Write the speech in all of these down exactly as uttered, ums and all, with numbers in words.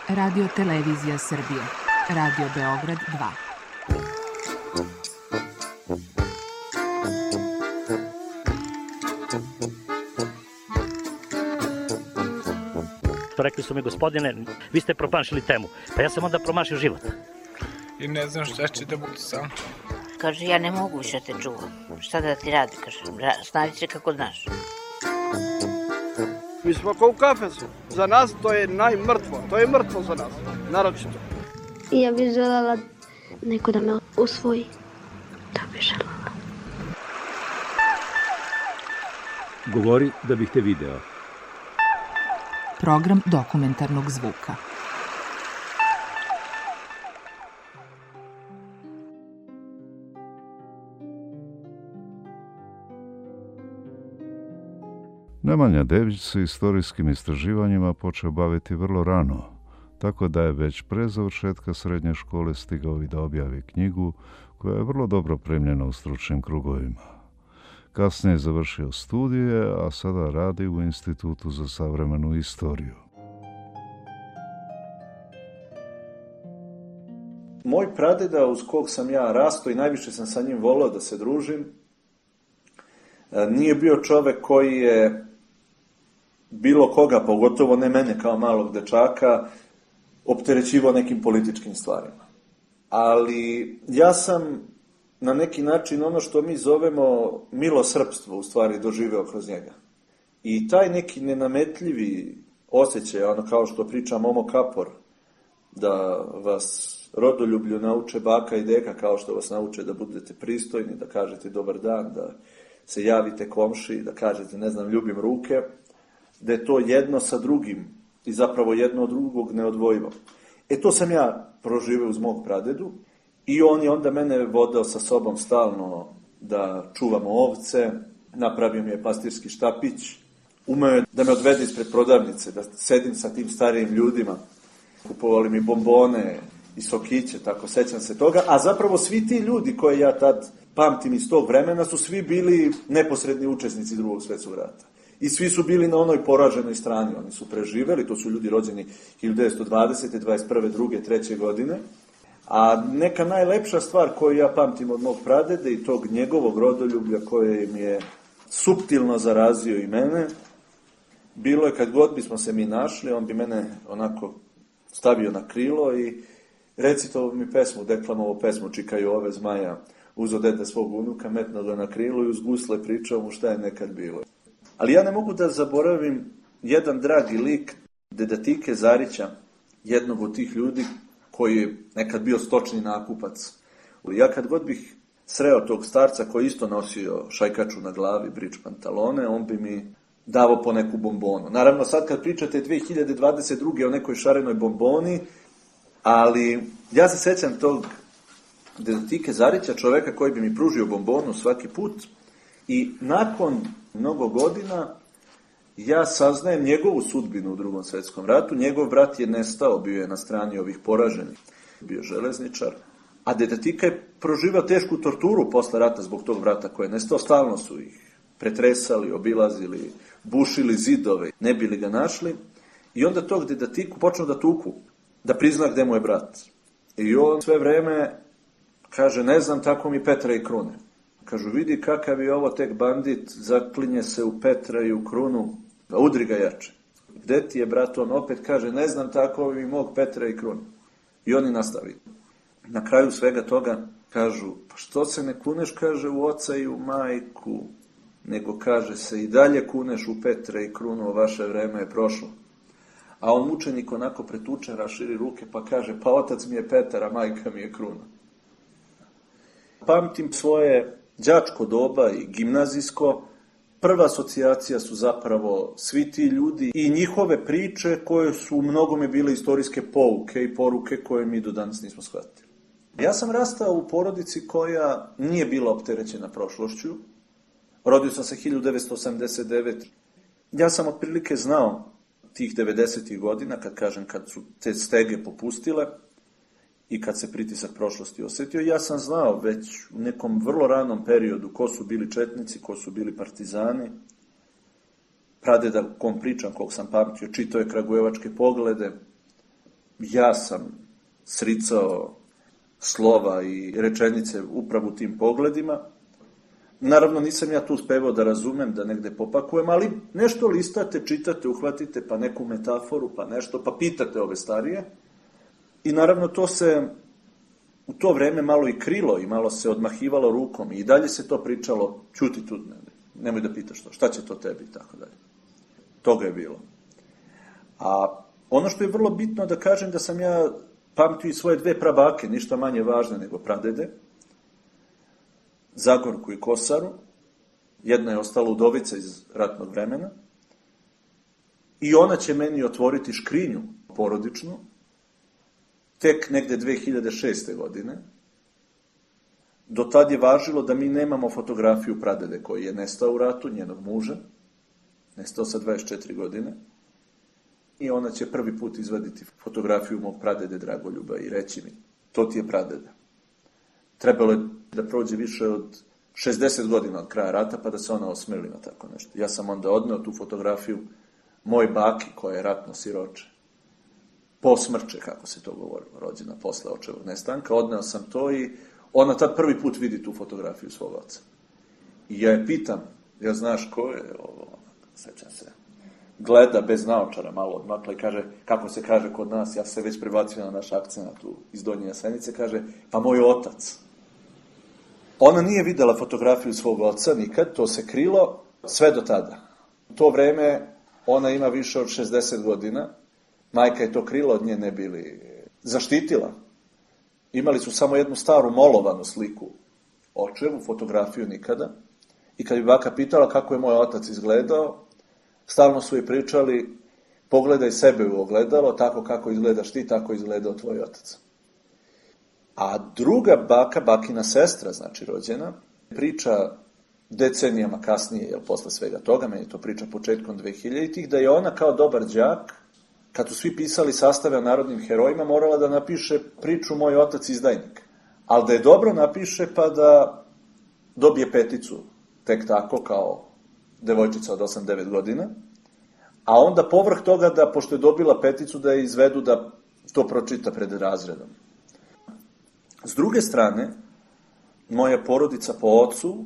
Radio Televizija Srbije. Radio Beograd dva. Rekli su mi, gospodine, vi ste promašili temu. Pa ja sam onda promašio život. I ne znam šta će da bude sam. Kaže, ja ne mogu više te čuvam. Šta da ti radi, kaže, snađi se kako znaš. Mi smo kao u kafesu. Za nas to je najmrtvo. To je mrtvo za nas, naročito. I ja bih želela neko da me usvoji. To bih želela. Govori da bih te video. Program dokumentarnog zvuka. Nemanja Dević se istorijskim istraživanjima počeo baviti vrlo rano, tako da je već pre završetka srednje škole stigao i da objavi knjigu koja je vrlo dobro primljena u stručnim krugovima. Kasnije je završio studije, a sada radi u Institutu za savremenu istoriju. Moj pradeda uz kog sam ja rastao i najviše sam sa njim voleo da se družim, nije bio čovek koji je bilo koga, pogotovo ne mene kao malog dečaka, opterećivao nekim političkim stvarima. Ali ja sam na neki način ono što mi zovemo milosrpstvo u stvari doživeo kroz njega. I taj neki nenametljivi osjećaj, ono kao što priča Momo Kapor, da vas rodoljublju nauče baka i deka kao što vas nauče da budete pristojni, da kažete dobar dan, da se javite komši, da kažete ne znam ljubim ruke, da je to jedno sa drugim i zapravo jedno od drugog neodvojivo. E to sam ja proživeo uz mog pradedu i on je onda mene vodao sa sobom stalno da čuvamo ovce, napravio mi je pastirski štapić, umeo je da me odvede ispred prodavnice, da sedim sa tim starijim ljudima, kupovali mi bombone i sokiće, tako sećam se toga, a zapravo svi ti ljudi koje ja tad pamtim iz tog vremena su svi bili neposredni učesnici Drugog svjetskog rata. I svi su bili na onoj poraženoj strani, oni su preživeli, to su ljudi rođeni hiljadu devetsto dvadesete, dvadeset prve, druge, treće godine. A neka najlepša stvar koju ja pamtim od mog pradede i tog njegovog rodoljublja koje mi je suptilno zarazio i mene, bilo je kad god bismo se mi našli, on bi mene onako stavio na krilo i recito mi pesmu, deklamovo pesmu Čikaju ove zmaja, uzo dete svog unuka, metno ga na krilo i uz gusle pričao mu šta je nekad bilo. Ali ja ne mogu da zaboravim jedan dragi lik deda Tike Zarića, jednog od tih ljudi koji je nekad bio stočni nakupac. Ja kad god bih sreo tog starca koji isto nosio šajkaču na glavi, brič pantalone, on bi mi davo po neku bombonu. Naravno, sad kad pričate dve hiljade dvadeset druge o nekoj šarenoj bomboni, ali ja se sećam tog deda Tike Zarića, čoveka koji bi mi pružio bombonu svaki put i nakon mnogo godina ja saznajem njegovu sudbinu u Drugom svjetskom ratu. Njegov brat je nestao, bio je na strani ovih poraženih, bio železničar, a deda Tika je proživao tešku torturu posle rata zbog tog brata koji je nestao. Stalno su ih pretresali, obilazili, bušili zidove, ne bili ga našli. I onda tog deda Tiku počnu da tuku, da prizna gde mu je brat. I on sve vreme kaže, ne znam, tako mi Petra i Krune. Kažu, vidi kakav je ovo tek bandit, zaklinje se u Petra i u Krunu, a udri ga jače. Gde ti je, brat? On opet kaže, ne znam, tako mi mog Petra i Krunu. I oni nastavi. Na kraju svega toga kažu, pa što se ne kuneš, kaže, u oca i u majku, nego kaže se i dalje kuneš u Petra i Krunu, vaše vreme je prošlo. A on mučenik onako pretučen, raširi ruke, pa kaže, pa otac mi je Petar, a majka mi je Kruna. Pamtim svoje đačko doba i gimnazijsko. Prva asocijacija su zapravo svi ti ljudi i njihove priče koje su u mnogome bile istorijske pouke i poruke koje mi do danas nismo shvatili. Ja sam rastao u porodici koja nije bila opterećena prošlošću. Rodio sam se hiljadu devetsto osamdeset devete. Ja sam otprilike znao tih devedesetih godina, kad kažem kad su te stege popustile i kad se pritisak prošlosti osetio, ja sam znao već u nekom vrlo ranom periodu ko su bili četnici, ko su bili partizani. Pradeda kom pričam, kog sam pamtio, čitao je Kragujevačke poglede, ja sam sricao slova i rečenice upravo u tim pogledima. Naravno, nisam ja tu uspevao da razumem, da negde popakujem, ali nešto listate, čitate, uhvatite, pa neku metaforu, pa nešto, pa pitate ove starije. I naravno, to se u to vreme malo i krilo i malo se odmahivalo rukom i dalje se to pričalo, ćuti tu, ne, nemoj da pitaš to, šta će to tebi i tako dalje. Toga je bilo. A ono što je vrlo bitno da kažem da sam ja pamtio i svoje dve prabake, ništa manje važne nego pradede, Zagorku i Kosaru, jedna je ostala udovica iz ratnog vremena, i ona će meni otvoriti škrinju porodičnu, tek negde dve hiljade šeste. godine. Do tad je važilo da mi nemamo fotografiju pradede koji je nestao u ratu, njenog muža, nestao sa dvadeset četiri godine, i ona će prvi put izvaditi fotografiju mog pradede Dragoljuba i reći mi, to ti je pradeda. Trebalo je da prođe više od šezdeset godina od kraja rata, pa da se ona osmeli na tako nešto. Ja sam onda odneo tu fotografiju moj baki, koja je ratno siroče. Posmrče, kako se to govorilo, rođena posle očevog nestanka. Odneo sam to i ona tad prvi put vidi tu fotografiju svog oca. I ja je pitam, ja znaš ko je ovo, sećam se, gleda bez naočara malo odmakla i kaže, kako se kaže kod nas, ja se već prebacio na naš akcent tu iz Donje Jasenice, kaže, pa moj otac. Ona nije videla fotografiju svog oca nikad, to se krilo sve do tada. U to vreme ona ima više od šezdeset godina, majka je to krilo od nje ne bili zaštitila. Imali su samo jednu staru molovanu sliku očevu, fotografiju nikada. I kad bi baka pitala kako je moj otac izgledao, stalno su joj pričali, pogledaj sebe u ogledalo, tako kako izgledaš ti, tako izgledao tvoj otac. A druga baka, bakina sestra, znači rođena, priča decenijama kasnije, jel, posle svega toga, meni to priča početkom dvehiljaditih, da je ona kao dobar đak, kad su svi pisali sastave o narodnim herojima, morala da napiše priču moj otac izdajnik. Ali da je dobro napiše, pa da dobije peticu, tek tako, kao devojčica od osam devet godina, a onda povrh toga da, pošto je dobila peticu, da je izvedu da to pročita pred razredom. S druge strane, moja porodica po ocu,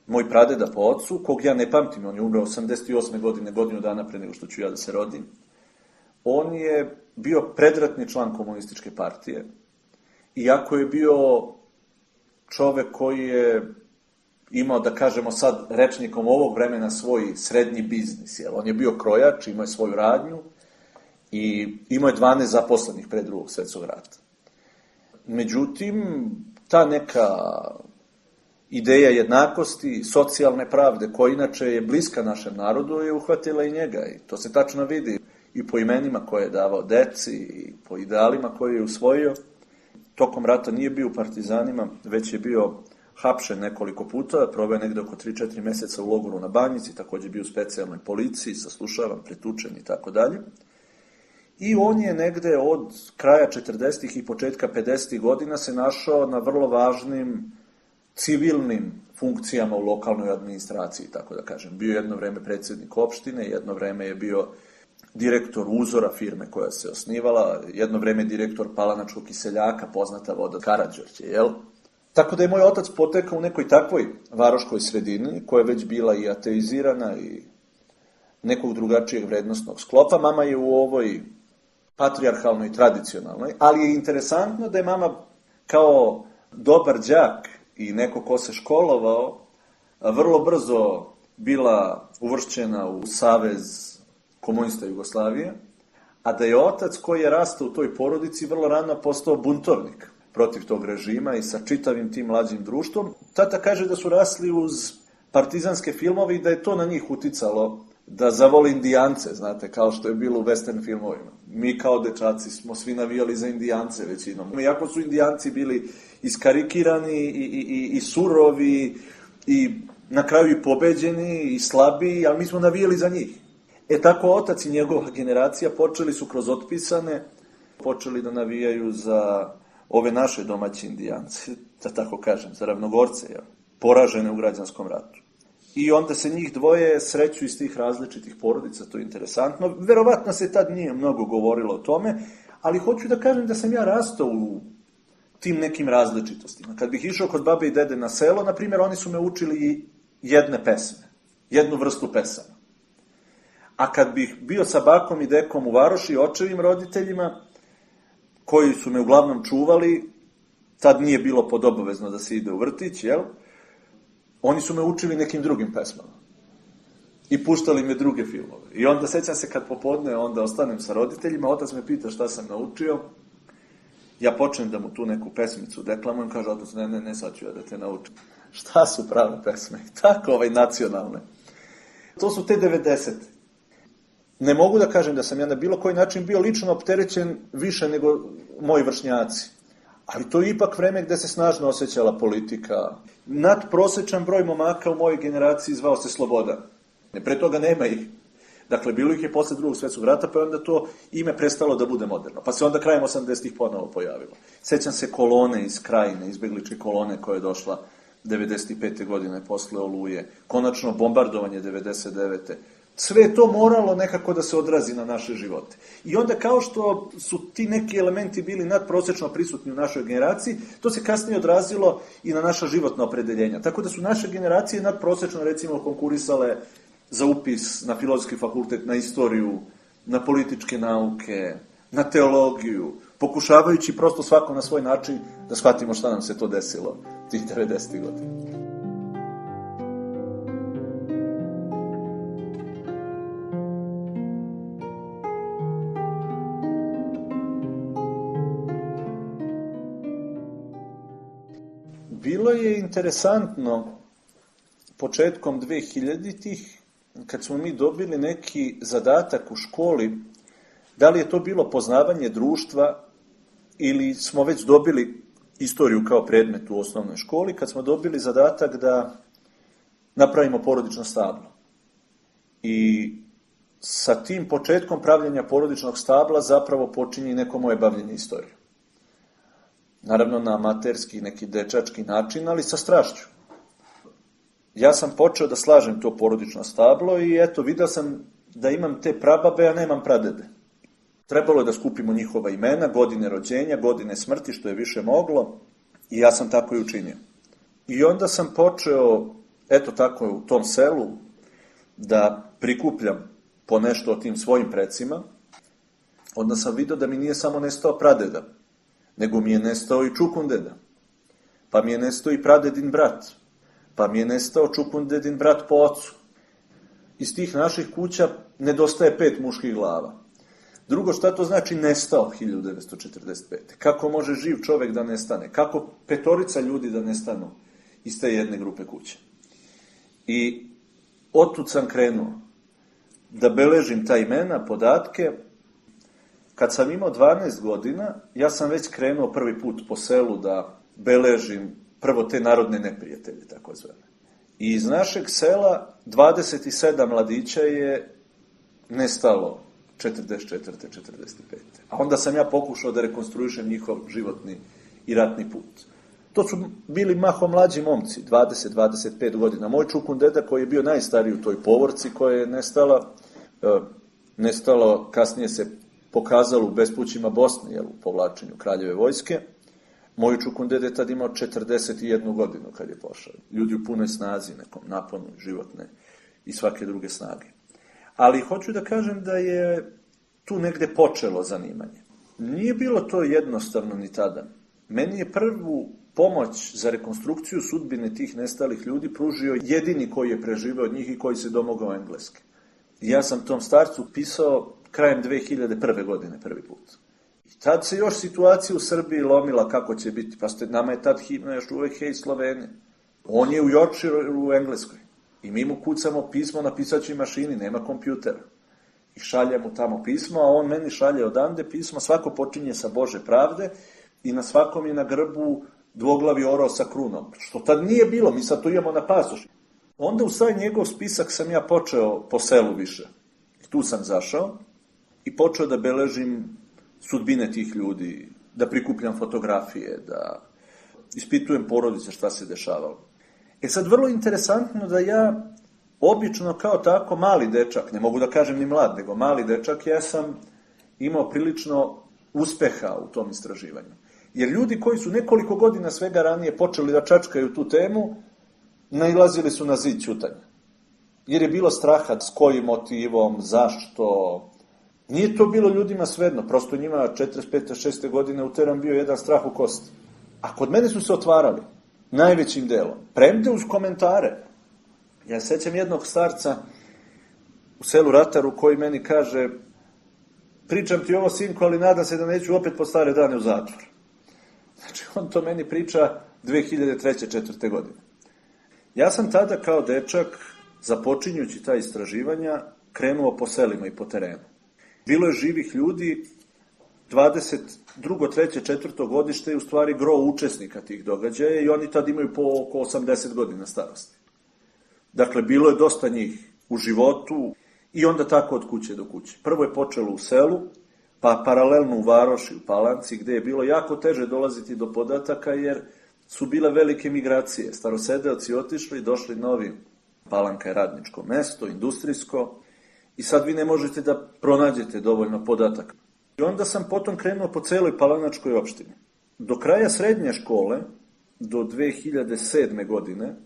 moj pradeda po ocu, kog ja ne pamtim, on je umro osamdeset osme. godine, godinu dana pre nego što ću ja da se rodim, on je bio predratni član komunističke partije, iako je bio čovek koji je imao, da kažemo sad, rečnikom ovog vremena svoj srednji biznis. Jel? On je bio krojač, imao je svoju radnju i imao je dvanaest zaposlenih pre drugog svetskog rata. Međutim, ta neka ideja jednakosti, socijalne pravde, koja inače je bliska našem narodu, je uhvatila i njega. I to se tačno vidi i po imenima koje je davao deci, i po idealima koje je usvojio. Tokom rata nije bio u partizanima, već je bio hapšen nekoliko puta, probao je negde oko tri četiri meseca u logoru na Banjici, takođe bio u specijalnoj policiji, saslušavan, pretučen i tako dalje. I on je negde od kraja četrdesetih i početka pedesetih godina se našao na vrlo važnim civilnim funkcijama u lokalnoj administraciji, tako da kažem. Bio jedno vreme predsjednik opštine, jedno vreme je bio direktor Uzora, firme koja se osnivala, jedno vreme direktor Palanačkog kiseljaka, poznata voda Karađorđe, jel? Tako da je moj otac potekao u nekoj takvoj varoškoj sredini, koja je već bila i ateizirana i nekog drugačijeg vrednostnog sklopa. Mama je u ovoj patrijarhalnoj i tradicionalnoj, ali je interesantno da je mama kao dobar đak i neko ko se školovao, vrlo brzo bila uvršćena u Savez komunista Jugoslavije, a da je otac koji je rastao u toj porodici vrlo rano postao buntovnik protiv tog režima i sa čitavim tim mlađim društvom. Tata kaže da su rasli uz partizanske filmove i da je to na njih uticalo da zavole Indijance, znate, kao što je bilo u western filmovima. Mi kao dečaci smo svi navijali za Indijance većinom. Iako su Indijanci bili iskarikirani i, i, i, i surovi i na kraju i pobeđeni i slabi, ali mi smo navijali za njih. E tako otac i njegova generacija počeli su kroz otpisane, počeli da navijaju za ove naše domaće Indijance, da tako kažem, za ravnogorce, ja, poražene u građanskom ratu. I onda se njih dvoje sreću iz tih različitih porodica, to je interesantno. Verovatno se tad nije mnogo govorilo o tome, ali hoću da kažem da sam ja rastao u tim nekim različitostima. Kad bih išao kod babe i dede na selo, na primjer, oni su me učili jedne pesme, jednu vrstu pesama. A kad bih bio sa bakom i dekom u varoši, očevim roditeljima, koji su me uglavnom čuvali, tad nije bilo podobovezno da se ide u vrtić, jel? Oni su me učili nekim drugim pesmama. I puštali me druge filmove. I onda sećam se kad popodne, onda ostanem sa roditeljima, otac me pita šta sam naučio, ja počnem da mu tu neku pesmicu deklamujem, kaže otac, ne, ne, ne, sad ću ja da te naučim. Šta su prave pesme? Tako, ovaj, nacionalne. To su te devedesete. Ne mogu da kažem da sam ja na bilo koji način bio lično opterećen više nego moji vršnjaci. Ali to je ipak vreme gde se snažno osjećala politika. Nadprosečan broj momaka u mojoj generaciji zvao se Slobodan. Pre toga nema ih. Dakle, bilo ih je posle drugog svetskog rata, pa je onda to ime prestalo da bude moderno. Pa se onda krajem osamdesetih ponovo pojavilo. Sećam se kolone iz Krajine, izbegličke kolone koja je došla devedeset pete godine posle Oluje. Konačno bombardovanje devedeset devete Sve je to moralo nekako da se odrazi na naše živote. I onda kao što su ti neki elementi bili nadprosečno prisutni u našoj generaciji, to se kasnije odrazilo i na naša životna opredeljenja. Tako da su naše generacije nadprosečno recimo konkurisale za upis na filozofski fakultet, na istoriju, na političke nauke, na teologiju, pokušavajući prosto svako na svoj način da shvatimo šta nam se to desilo tih devedesetih godina. Bilo je interesantno početkom dvehiljaditih kad smo mi dobili neki zadatak u školi, da li je to bilo poznavanje društva ili smo već dobili istoriju kao predmet u osnovnoj školi, kad smo dobili zadatak da napravimo porodično stablo. I sa tim početkom pravljenja porodičnog stabla zapravo počinje neko moje bavljenje istorijom. Naravno na amaterski, neki dečački način, ali sa strašću. Ja sam počeo da slažem to porodično stablo i eto, vidio sam da imam te prababe, a nemam pradede. Trebalo je da skupimo njihova imena, godine rođenja, godine smrti, što je više moglo, i ja sam tako i učinio. I onda sam počeo, eto tako u tom selu, da prikupljam po nešto o tim svojim precima. Onda sam vidio da mi nije samo nestao pradeda, nego mi je nestao i čukundeda, pa mi je nestao i pradedin brat, pa mi je nestao čukundedin brat po ocu. Iz tih naših kuća nedostaje pet muških glava. Drugo, šta to znači nestao hiljadu devetsto četrdeset pete? Kako može živ čovek da nestane? Kako petorica ljudi da nestanu iz te jedne grupe kuće? I otud sam krenuo da beležim ta imena, podatke. Kad sam imao dvanaest godina, ja sam već krenuo prvi put po selu da beležim prvo te narodne neprijatelje, tako zvane. I iz našeg sela dvadeset sedam mladića je nestalo četrdeset četvrte četrdeset pete A onda sam ja pokušao da rekonstruišem njihov životni i ratni put. To su bili mahom mlađi momci, dvadeset do dvadeset pet godina. Moj čukundeda koji je bio najstariji u toj povorci koja je nestala, nestalo, kasnije se pokazalo u bespućima Bosne, jel, u povlačenju kraljeve vojske. Moj čukundeda je tad imao četrdeset jednu godinu kad je pošao. Ljudi u punoj snazi, nekom naponu životne i svake druge snage. Ali hoću da kažem da je tu negde počelo zanimanje. Nije bilo to jednostavno ni tada. Meni je prvu pomoć za rekonstrukciju sudbine tih nestalih ljudi pružio jedini koji je preživeo od njih i koji se domogao engleske. Ja sam tom starcu pisao krajem dve hiljade prve godine prvi put. I tad se još situacija u Srbiji lomila kako će biti. Pa ste, nama je tad himna još uvek Hej Slovenija. On je u Yorkshireu u Engleskoj. I mi mu kucamo pismo na pisaćoj mašini, nema kompjutera. I šalje mu tamo pismo, a on meni šalje odande pismo, svako počinje sa Bože pravde i na svakom je na grbu dvoglavi orao sa krunom. Što tad nije bilo, mi sad to imamo na pasoši. Onda u taj njegov spisak sam ja počeo po selu više. I tu sam zašao i počeo da beležim sudbine tih ljudi, da prikupljam fotografije, da ispitujem porodice šta se dešavalo. E sad, vrlo interesantno da ja, obično kao tako mali dečak, ne mogu da kažem ni mlad, nego mali dečak, ja sam imao prilično uspeha u tom istraživanju. Jer ljudi koji su nekoliko godina svega ranije počeli da čačkaju tu temu, nailazili su na zid ćutanja. Jer je bilo straha s kojim motivom, zašto. Nije to bilo ljudima svejedno, prosto njima četrdeset pete šeste godine uteran bio jedan strah u kosti. A kod mene su se otvarali, najvećim delom. Premde uz komentare. Ja sećam jednog starca u selu Rataru koji meni kaže: pričam ti ovo, sinko, ali nadam se da neću opet po stare dane u zatvor. Znači, on to meni priča dve hiljade treće četvrte godine. Ja sam tada kao dečak, započinjući ta istraživanja, krenuo po selima i po terenu. Bilo je živih ljudi, dvadeset drugo, treće, četvrto godište je u stvari gro učesnika tih događaja i oni tad imaju po oko osamdeset godina starosti. Dakle, bilo je dosta njih u životu i onda tako od kuće do kuće. Prvo je počelo u selu, pa paralelno u Varoši, u Palanci, gde je bilo jako teže dolaziti do podataka jer su bile velike migracije. Starosedeoci otišli i došli novi. Palanka je radničko mesto, industrijsko, i sad vi ne možete da pronađete dovoljno podataka. I onda sam potom krenuo po celoj palanačkoj opštini. Do kraja srednje škole, do dve hiljade sedme godine,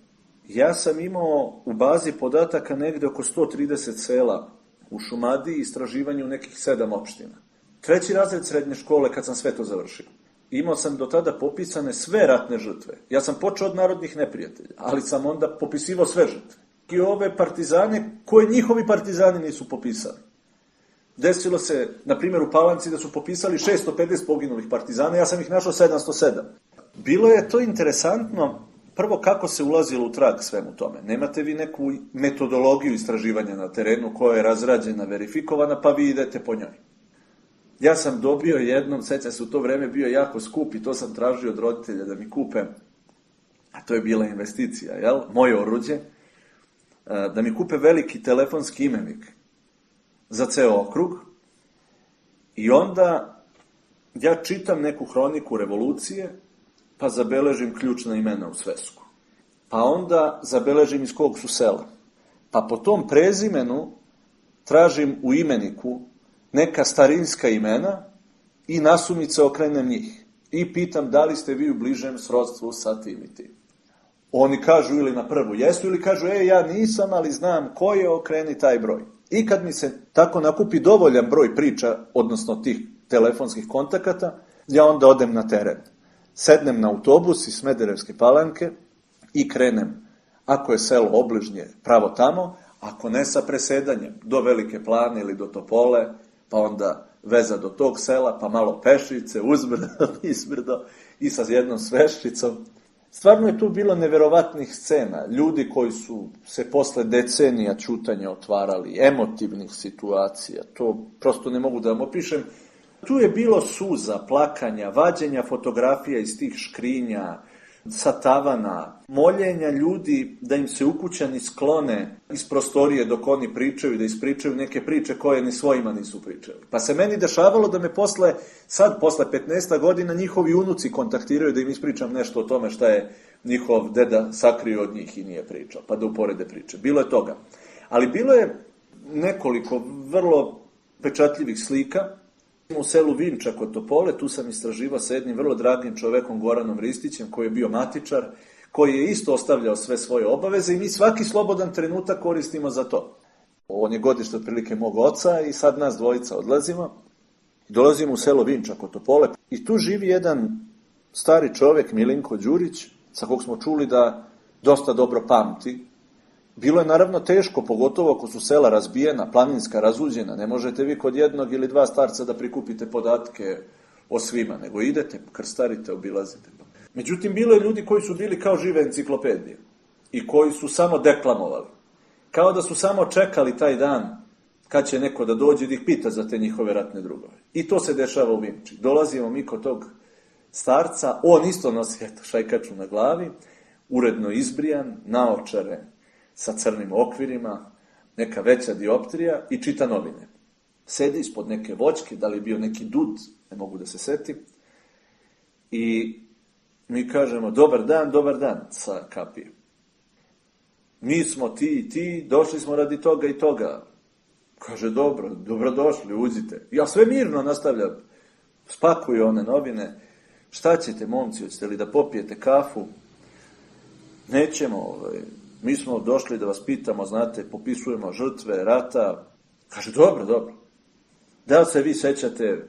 ja sam imao u bazi podataka negde oko sto trideset sela u Šumadiji i istraživanju u nekih sedam opština. Treći razred srednje škole kad sam sve to završio. Imao sam do tada popisane sve ratne žrtve. Ja sam počeo od narodnih neprijatelja, ali sam onda popisivao sve žrtve. I ove partizane koje njihovi partizani nisu popisali. Desilo se, na primjer, u Palanci da su popisali šesto pedeset poginulih partizana, ja sam ih našao sedamsto sedam. Bilo je to interesantno, prvo kako se ulazilo u trag svemu tome. Nemate vi neku metodologiju istraživanja na terenu koja je razrađena, verifikovana, pa vi idete po njoj. Ja sam dobio jednom, sećam se, u to vreme bio jako skup i to sam tražio od roditelja da mi kupe, a to je bila investicija, jel? Moje oruđe, da mi kupe veliki telefonski imenik za ceo okrug i onda ja čitam neku hroniku revolucije, pa zabeležim ključna imena u svesku. Pa onda zabeležim iz kog su sela. Pa po tom prezimenu tražim u imeniku neka starinska imena i nasumice okrenem njih. I pitam da li ste vi u bližem srodstvu sa tim i tim. Oni kažu ili na prvu jesu ili kažu e ja nisam, ali znam ko je, okreni taj broj. I kad mi se tako nakupi dovoljan broj priča, odnosno tih telefonskih kontakata, ja onda odem na teren. Sednem na autobus iz Smederevske Palanke i krenem, ako je selo obližnje, pravo tamo, ako ne sa presedanjem, do Velike Plane ili do Topole, pa onda veza do tog sela, pa malo pešice, uzbrdo, izbrdo i sa jednom sveščicom. Stvarno je tu bilo neverovatnih scena, ljudi koji su se posle decenija ćutanja otvarali, emotivnih situacija, to prosto ne mogu da vam opišem. Tu je bilo suza, plakanja, vađenja fotografija iz tih škrinja, sa tavana, moljenja ljudi da im se ukućani sklone iz prostorije dok oni pričaju, da ispričaju neke priče koje ni svojima nisu pričali. Pa se meni dešavalo da me posle, sad posle petnaest godina, njihovi unuci kontaktiraju da im ispričam nešto o tome šta je njihov deda sakrio od njih i nije pričao, pa da uporede priče. Bilo je toga. Ali bilo je nekoliko vrlo pečatljivih slika. U selu Vinča kod Topole, tu sam istraživao sa jednim vrlo dragim čovekom Goranom Ristićem, koji je bio matičar, koji je isto ostavljao sve svoje obaveze i mi svaki slobodan trenutak koristimo za to. On je godište otprilike mog oca i sad nas dvojica odlazimo. Dolazimo u selo Vinča kod Topole i tu živi jedan stari čovek, Milinko Đurić, sa kog smo čuli da dosta dobro pamti. Bilo je naravno teško, pogotovo ako su sela razbijena, planinska, razuđena. Ne možete vi kod jednog ili dva starca da prikupite podatke o svima, nego idete, krstarite, obilazite. Međutim, bilo je ljudi koji su bili kao žive enciklopedije i koji su samo deklamovali. Kao da su samo čekali taj dan kad će neko da dođe da ih pita za te njihove ratne drugove. I to se dešava u Vinči. Dolazimo mi kod tog starca, on isto nosi eto, šajkaču na glavi, uredno izbrijan, naočare, sa crnim okvirima, neka veća dioptrija i čita novine. Sedi ispod neke voćke, da li je bio neki dud, ne mogu da se setim, i mi kažemo dobar dan, dobar dan sa kapije. Mi smo ti i ti, došli smo radi toga i toga. Kaže dobro, dobrodošli, uđite. Ja sve mirno nastavljam. spakuje one novine, šta ćete, momci, hoćete li da popijete kafu? Nećemo, ovaj, mi smo došli da vas pitamo, znate, popisujemo žrtve rata. Kaže, dobro, dobro. Da li se vi sećate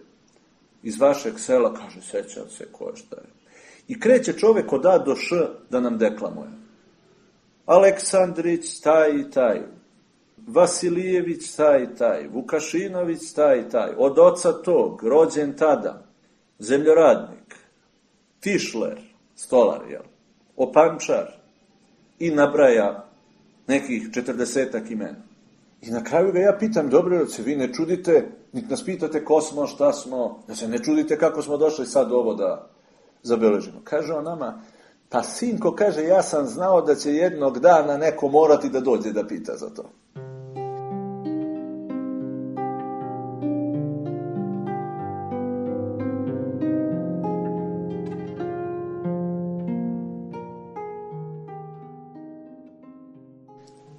iz vašeg sela? Kaže, sećam se, ko je šta je. I kreće čovek od A do Š da nam deklamuje. Aleksandrić, taj i taj. Vasilijević, taj i taj. Vukašinović, taj i taj. Od oca tog, rođen tada. Zemljoradnik. Tišler, stolar, jel? Opančar. I nabraja nekih četrdesetak imena. I na kraju ga ja pitam, dobro, da se vi ne čudite, niti nas pitate ko smo, šta smo, da se ne čudite kako smo došli sad ovo da zabeležimo. Kaže on nama, pa sinko, kaže, ja sam znao da će jednog dana neko morati da dođe da pita za to.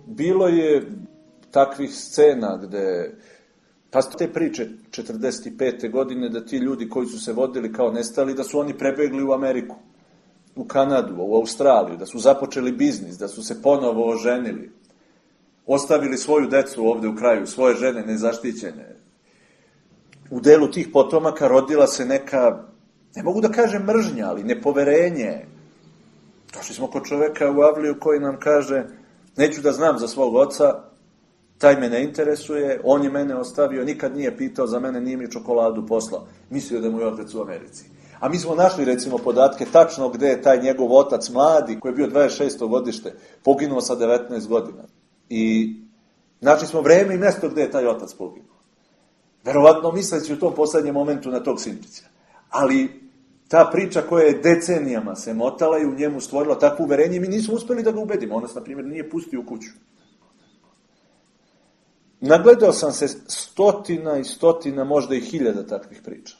Bilo je takvih scena gde, pa te priče četrdeset pete godine, da ti ljudi koji su se vodili kao nestali, da su oni prebegli u Ameriku, u Kanadu, u Australiju, da su započeli biznis, da su se ponovo oženili, ostavili svoju decu ovde u kraju, svoje žene nezaštićene. U delu tih potomaka rodila se neka, ne mogu da kažem mržnja, ali nepoverenje. Došli smo kod čoveka u Avliju koji nam kaže, neću da znam za svog oca, taj me ne interesuje, on je mene ostavio, nikad nije pitao za mene, nije mi čokoladu poslao. Mislio da mu je otac u Americi. A mi smo našli, recimo, podatke tačno gde je taj njegov otac mladi, koji je bio dvadeset šesto godište, poginuo sa devetnaest godina. I našli smo vreme i mesto gde je taj otac poginuo. Verovatno misleći u tom poslednjem momentu na tog sinčića. Ali ta priča koja je decenijama se motala i u njemu stvorila takvo uverenje, mi nismo uspeli da ga ubedimo. On nas, na primjer, nije pustio u kuću. Nagledao sam se stotina i stotina, možda i hiljada takvih priča.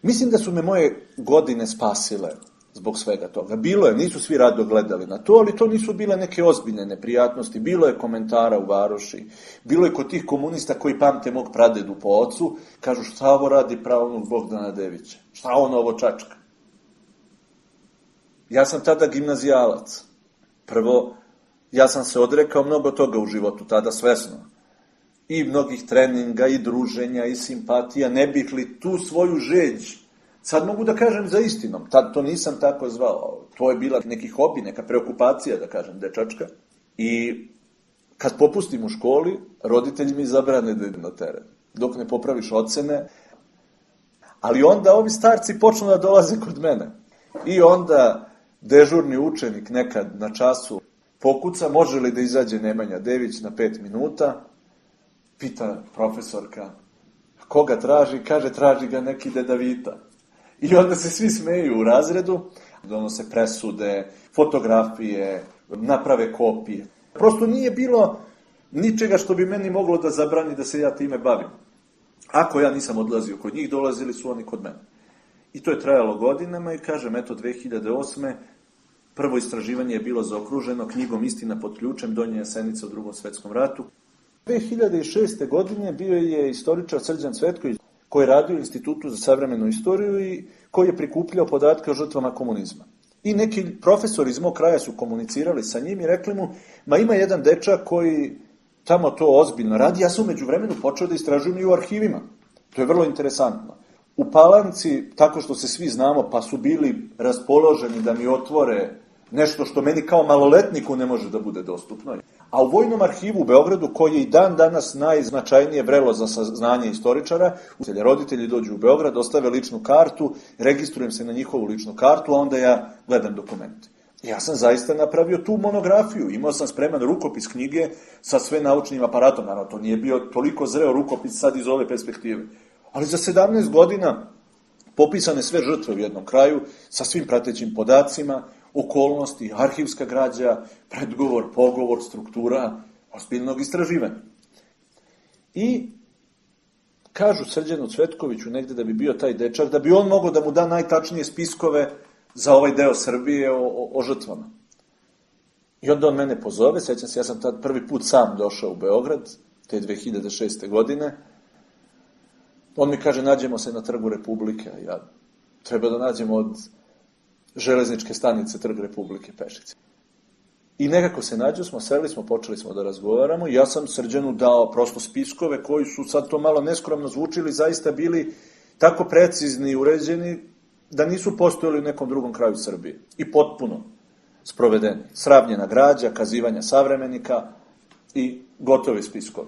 Mislim da su me moje godine spasile zbog svega toga. Bilo je, nisu svi rado gledali na to, ali to nisu bile neke ozbiljne neprijatnosti. Bilo je komentara u varoši, bilo je kod tih komunista koji pamte mog pradedu po ocu, kažu šta ovo radi pravnog Bogdana Devića, šta on ovo čačka. Ja sam tada gimnazijalac. Prvo, ja sam se odrekao mnogo toga u životu, tada svesno. I mnogih treninga, i druženja, i simpatija, ne bih li tu svoju žeđ, sad mogu da kažem za istinom, tad to nisam tako zvao, to je bila neki hobi, neka preokupacija, da kažem, dečačka. I kad popustim u školi, roditelji mi zabrane da idem na teren, dok ne popraviš ocene. Ali onda ovi starci počnu da dolaze kod mene. I onda dežurni učenik nekad na času pokuca, može li da izađe Nemanja Dević na pet minuta, pita profesorka, koga traži, kaže traži ga neki Dedavita. I onda se svi smeju u razredu, donose presude, fotografije, naprave kopije. Prosto nije bilo ničega što bi meni moglo da zabrani da se ja time bavim. Ako ja nisam odlazio kod njih, dolazili su oni kod mene. I to je trajalo godinama i kažem, eto, dve hiljade osme prvo istraživanje je bilo zaokruženo knjigom Istina pod ključem Donja Jasenica u Drugom svetskom ratu. dve hiljade šeste godine bio je istoričar Srđan Cvetković, koji je radio u Institutu za savremenu istoriju i koji je prikupljao podatke o žrtvama komunizma. I neki profesori iz mog kraja su komunicirali sa njim i rekli mu, ma ima jedan dečak koji tamo to ozbiljno radi, ja sam umeđu vremenu počeo da istražujem i u arhivima. To je vrlo interesantno. U Palanci, tako što se svi znamo, pa su bili raspoloženi da mi otvore nešto što meni kao maloletniku ne može da bude dostupno. A u Vojnom arhivu u Beogradu, koji je i dan danas najznačajnije vrelo za saznanje istoričara, roditelji dođu u Beograd, ostave ličnu kartu, registrujem se na njihovu ličnu kartu, a onda ja gledam dokumente. Ja sam zaista napravio tu monografiju, imao sam spreman rukopis knjige sa sve naučnim aparatom, naravno to nije bio toliko zreo rukopis sad iz ove perspektive. Ali za sedamnaest godina popisane sve žrtve u jednom kraju, sa svim pratećim podacima, okolnosti, arhivska građa, predgovor, pogovor, struktura, ozbiljnog istraživanja. I kažu Srđanu Cvetkoviću negde da bi bio taj dečak, da bi on mogao da mu da najtačnije spiskove za ovaj deo Srbije o, o, o žrtvama. I onda on mene pozove, sećam se, ja sam tad prvi put sam došao u Beograd, te dve hiljade šeste godine, On mi kaže, nađemo se na Trgu Republike, a ja treba da nađemo od železničke stanice Trg Republike pešice. I nekako se nađu smo, seli smo, počeli smo da razgovaramo i ja sam Srđanu dao prosto spiskove koji su sad to malo neskromno zvučili, zaista bili tako precizni i uređeni da nisu postojali u nekom drugom kraju Srbije. I potpuno sprovedeni. Sravnjena građa, kazivanja savremenika i gotovi spiskovi.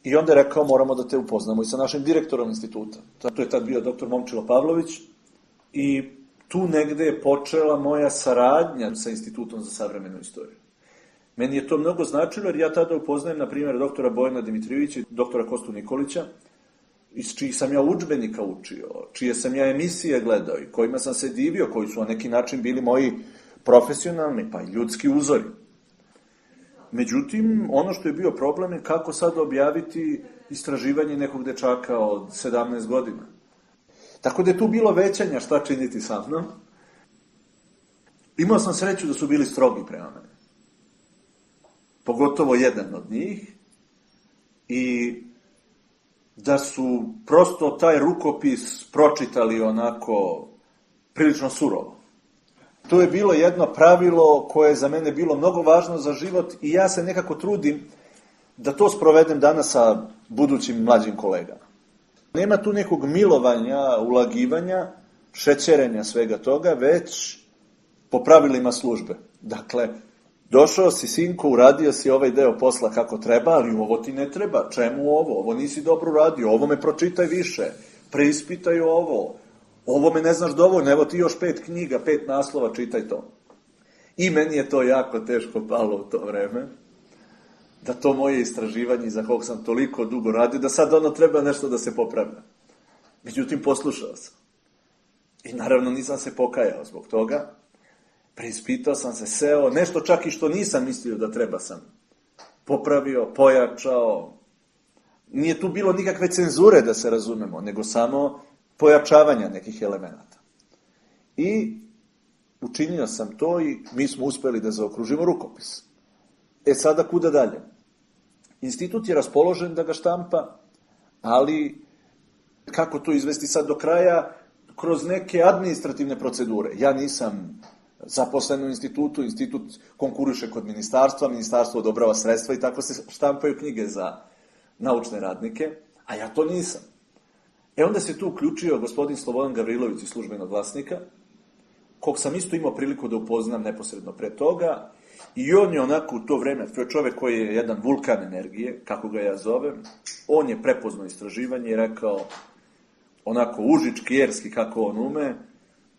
I onda je rekao, moramo da te upoznamo i sa našim direktorom instituta. To je tad bio doktor Momčilo Pavlović i tu negde je počela moja saradnja sa Institutom za savremenu istoriju. Meni je to mnogo značilo jer ja tada upoznajem, na primjer, doktora Bojana Dimitrijevića i doktora Kostu Nikolića, iz čijih sam ja udžbenika učio, čije sam ja emisije gledao i kojima sam se divio, koji su na neki način bili moji profesionalni pa i ljudski uzori. Međutim, ono što je bio problem je kako sad objaviti istraživanje nekog dečaka od sedamnaest godina. Tako da je tu bilo većanja šta činiti sa mnom. Imao sam sreću da su bili strogi prema mene. Pogotovo jedan od njih. I da su prosto taj rukopis pročitali onako prilično surovo. To je bilo jedno pravilo koje je za mene bilo mnogo važno za život i ja se nekako trudim da to sprovedem danas sa budućim mlađim kolegama. Nema tu nekog milovanja, ulagivanja, šećerenja svega toga, već po pravilima službe. Dakle, došao si, sinko, uradio si ovaj deo posla kako treba, ali ovo ti ne treba. Čemu ovo? Ovo nisi dobro uradio, ovo me pročitaj više, preispitaj ovo, ovo me ne znaš dovoljno, evo ti još pet knjiga, pet naslova, čitaj to. I meni je to jako teško palo u to vreme, da to moje istraživanje za kog sam toliko dugo radio, da sad ono treba nešto da se popravlja. Međutim, poslušao sam. I naravno nisam se pokajao zbog toga. Preispitao sam se, seo, nešto čak i što nisam mislio da treba sam popravio, pojačao. Nije tu bilo nikakve cenzure, da se razumemo, nego samo pojačavanja nekih elemenata. I učinio sam to i mi smo uspeli da zaokružimo rukopis. E sada kuda dalje? Institut je raspoložen da ga štampa, ali kako to izvesti sad do kraja? Kroz neke administrativne procedure. Ja nisam zaposlen u institutu, institut konkuriše kod ministarstva, ministarstvo odobrava sredstva i tako se štampaju knjige za naučne radnike, a ja to nisam. E onda se tu uključio gospodin Slobodan Gavrilović iz Službenog glasnika, kog sam isto imao priliku da upoznam neposredno pre toga, i on je onako u to vreme, to je čovek koji je jedan vulkan energije, kako ga ja zovem, on je prepoznao istraživanje i rekao, onako užički, jerski, kako on ume,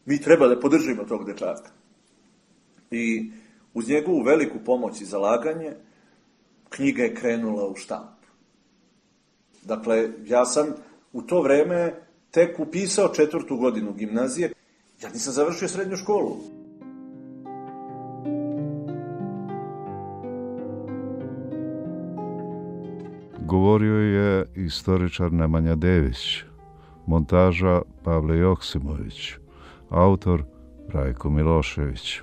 mi treba da podržimo tog dečaka. I uz njegovu veliku pomoć i zalaganje, knjiga je krenula u štamp. Dakle, ja sam u to vreme tek upisao četvrtu godinu gimnazije, ja nisam završio srednju školu. Govorio je istoričar Nemanja Dević, montaža Pavle Joksimović, autor Rajko Milošević.